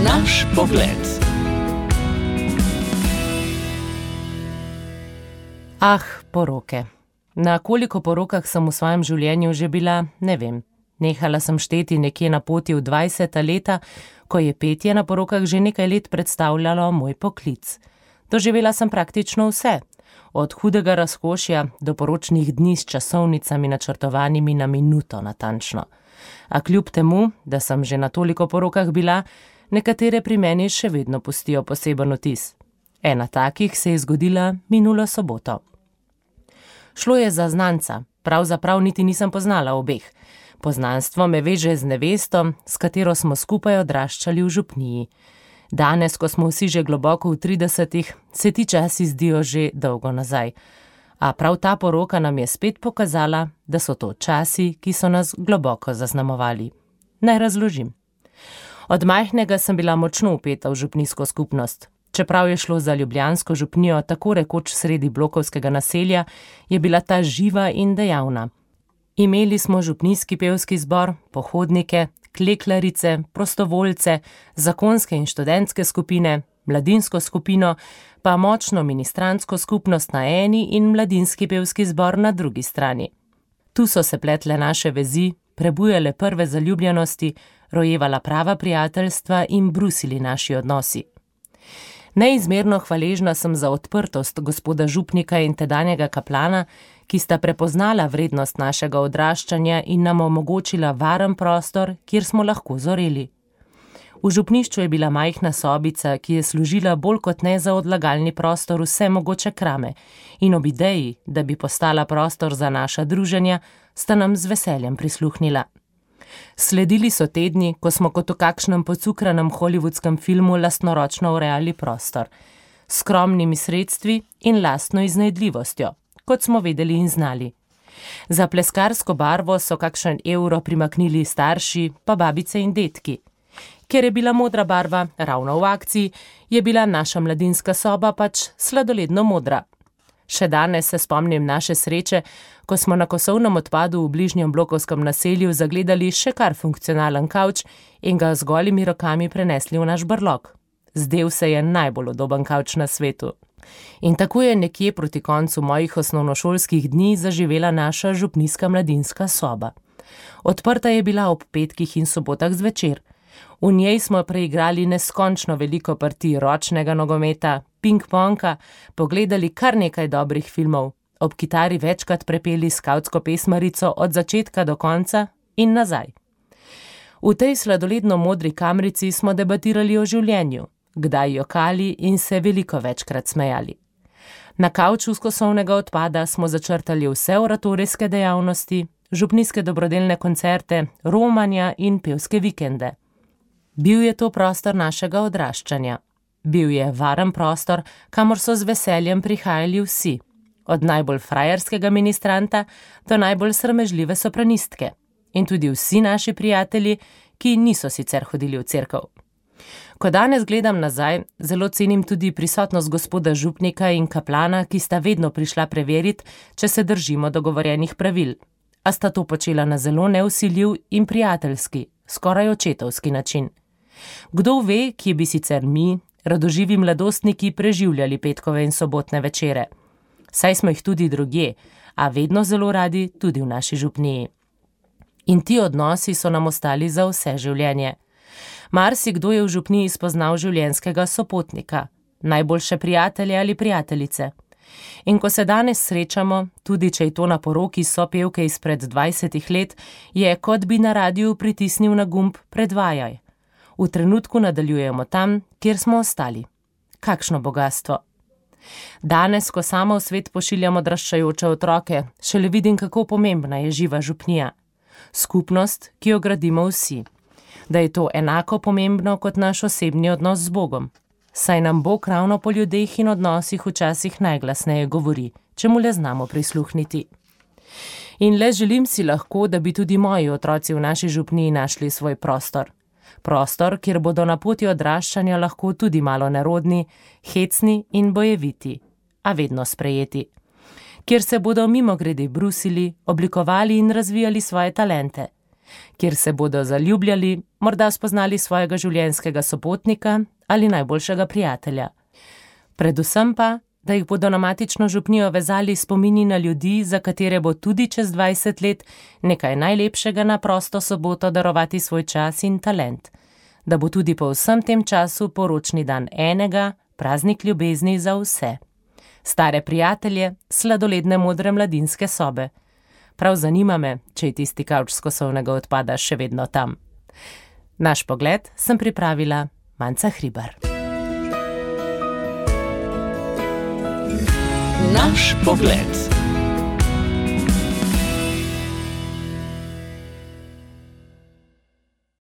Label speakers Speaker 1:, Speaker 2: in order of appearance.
Speaker 1: Naš pogled.
Speaker 2: Poroke. Na koliko porokah sem v svojem življenju že bila, ne vem. Nehala sem šteti nekje na poti v 20. leta, ko je petje na porokah že nekaj let predstavljalo moj poklic. Doživela sem praktično vse, od hudega razkošja do poročnih dni s časovnicami načrtovanimi na minuto natančno. A kljub temu, da sem že na toliko porokah bila, nekatere pri meni še vedno pustijo poseben vtis. Ena takih se je zgodila minulo soboto. Šlo je za znanca, pravzaprav niti nisem poznala obeh. Poznanstvo me veže z nevesto, s katero smo skupaj odraščali v župniji. Danes, ko smo vsi že globoko v 30-ih, se ti časi zdijo že dolgo nazaj. A prav ta poroka nam je spet pokazala, da so to časi, ki so nas globoko zaznamovali. Naj razložim. Od majhnega sem bila močno vpeta v župnijsko skupnost. Čeprav je šlo za ljubljansko župnijo tako rekoč sredi blokovskega naselja, je bila ta živa in dejavna. Imeli smo župnijski pevski zbor, pohodnike, kleklarice, prostovoljce, zakonske in študentske skupine, mladinsko skupino, pa močno ministrantsko skupnost na eni in mladinski pevski zbor na drugi strani. Tu so se pletle naše vezi, prebujale prve zaljubljenosti, rojevala prava prijateljstva in brusili naši odnosi. Neizmerno hvaležna sem za odprtost gospoda župnika in tedanjega kaplana, ki sta prepoznala vrednost našega odraščanja in nam omogočila varen prostor, kjer smo lahko zoreli. V župnišču je bila majhna sobica, ki je služila bolj kot ne za odlagalni prostor vse mogoče krame, in ob ideji, da bi postala prostor za naša druženja, sta nam z veseljem prisluhnila. Sledili so tedni, ko smo kot v kakšnem pocukranem hollywoodskem filmu lastnoročno urejali prostor, s skromnimi sredstvi in lastno iznajdljivostjo, kot smo vedeli in znali. Za pleskarsko barvo so kakšen evro primaknili starši, pa babice in detki. Ker je bila modra barva ravno v akciji, je bila naša mladinska soba pač sladoledno modra. Še danes se spomnim naše sreče, ko smo na kosovnem odpadu v bližnjem blokovskem naselju zagledali še kar funkcionalen kavč in ga z golimi rokami prenesli v naš brlog. Zdel se je najbolj udoben kavč na svetu. In tako je nekje proti koncu mojih osnovnošolskih dni zaživela naša župnijska mladinska soba. Odprta je bila ob petkih in sobotah zvečer. V njej smo preigrali neskončno veliko partij ročnega nogometa, ping-ponga, pogledali kar nekaj dobrih filmov, ob kitari večkrat prepeli skavtsko pesmarico od začetka do konca in nazaj. V tej sladoledno modri kamrici smo debatirali o življenju, kdaj jokali in se veliko večkrat smejali. Na kavču z kosovnega odpada smo začrtali vse oratorijske dejavnosti, župnijske dobrodelne koncerte, romanja in pevske vikende. Bil je to prostor našega odraščanja. Bil je varen prostor, kamor so z veseljem prihajali vsi, od najbolj frajerskega ministranta do najbolj sramežljive sopranistke in tudi vsi naši prijatelji, ki niso sicer hodili v cerkev. Ko danes gledam nazaj, zelo cenim tudi prisotnost gospoda župnika in kaplana, ki sta vedno prišla preveriti, če se držimo dogovorjenih pravil, a sta to počela na zelo nevsiljiv in prijateljski, skoraj očetovski način. Kdo ve, kje bi sicer mi, radoživi mladostniki, preživljali petkove in sobotne večere. Saj smo jih tudi drugje, a vedno zelo radi tudi v naši župniji. In ti odnosi so nam ostali za vse življenje. Marsikdo je v župniji spoznal življenjskega sopotnika, najboljše prijatelje ali prijateljice. In ko se danes srečamo, tudi če je to na poroki sopevke izpred 20 let, je, kot bi na radiju pritisnil na gumb predvajaj. V trenutku nadaljujemo tam, kjer smo ostali. Kakšno bogastvo! Danes, ko sama v svet pošiljam odraščajoče otroke, šele vidim, kako pomembna je živa župnija. Skupnost, ki jo gradimo vsi. Da je to enako pomembno kot naš osebni odnos z Bogom. Saj nam Bog ravno po ljudeh in odnosih včasih najglasneje govori, če mu le znamo prisluhniti. In le želim si lahko, da bi tudi moji otroci v naši župniji našli svoj prostor. Prostor, kjer bodo na poti odraščanja lahko tudi malo nerodni, hecni in bojeviti, a vedno sprejeti. Kjer se bodo mimogrede brusili, oblikovali in razvijali svoje talente. kjer se bodo zaljubljali, morda spoznali svojega življenjskega sopotnika ali najboljšega prijatelja. Predvsem pa, da jih bodo na matično župnijo vezali spomini na ljudi, za katere bo tudi čez 20 let nekaj najlepšega na prosto soboto darovati svoj čas in talent. Da bo tudi po vsem tem času poročni dan enega, praznik ljubezni za vse. Stare prijatelje, sladoledne modre mladinske sobe. Prav zanima me, če je tisti kavč s kosovnega odpada še vedno tam. Naš pogled sem pripravila Manca Hribar.
Speaker 1: Naš pogled.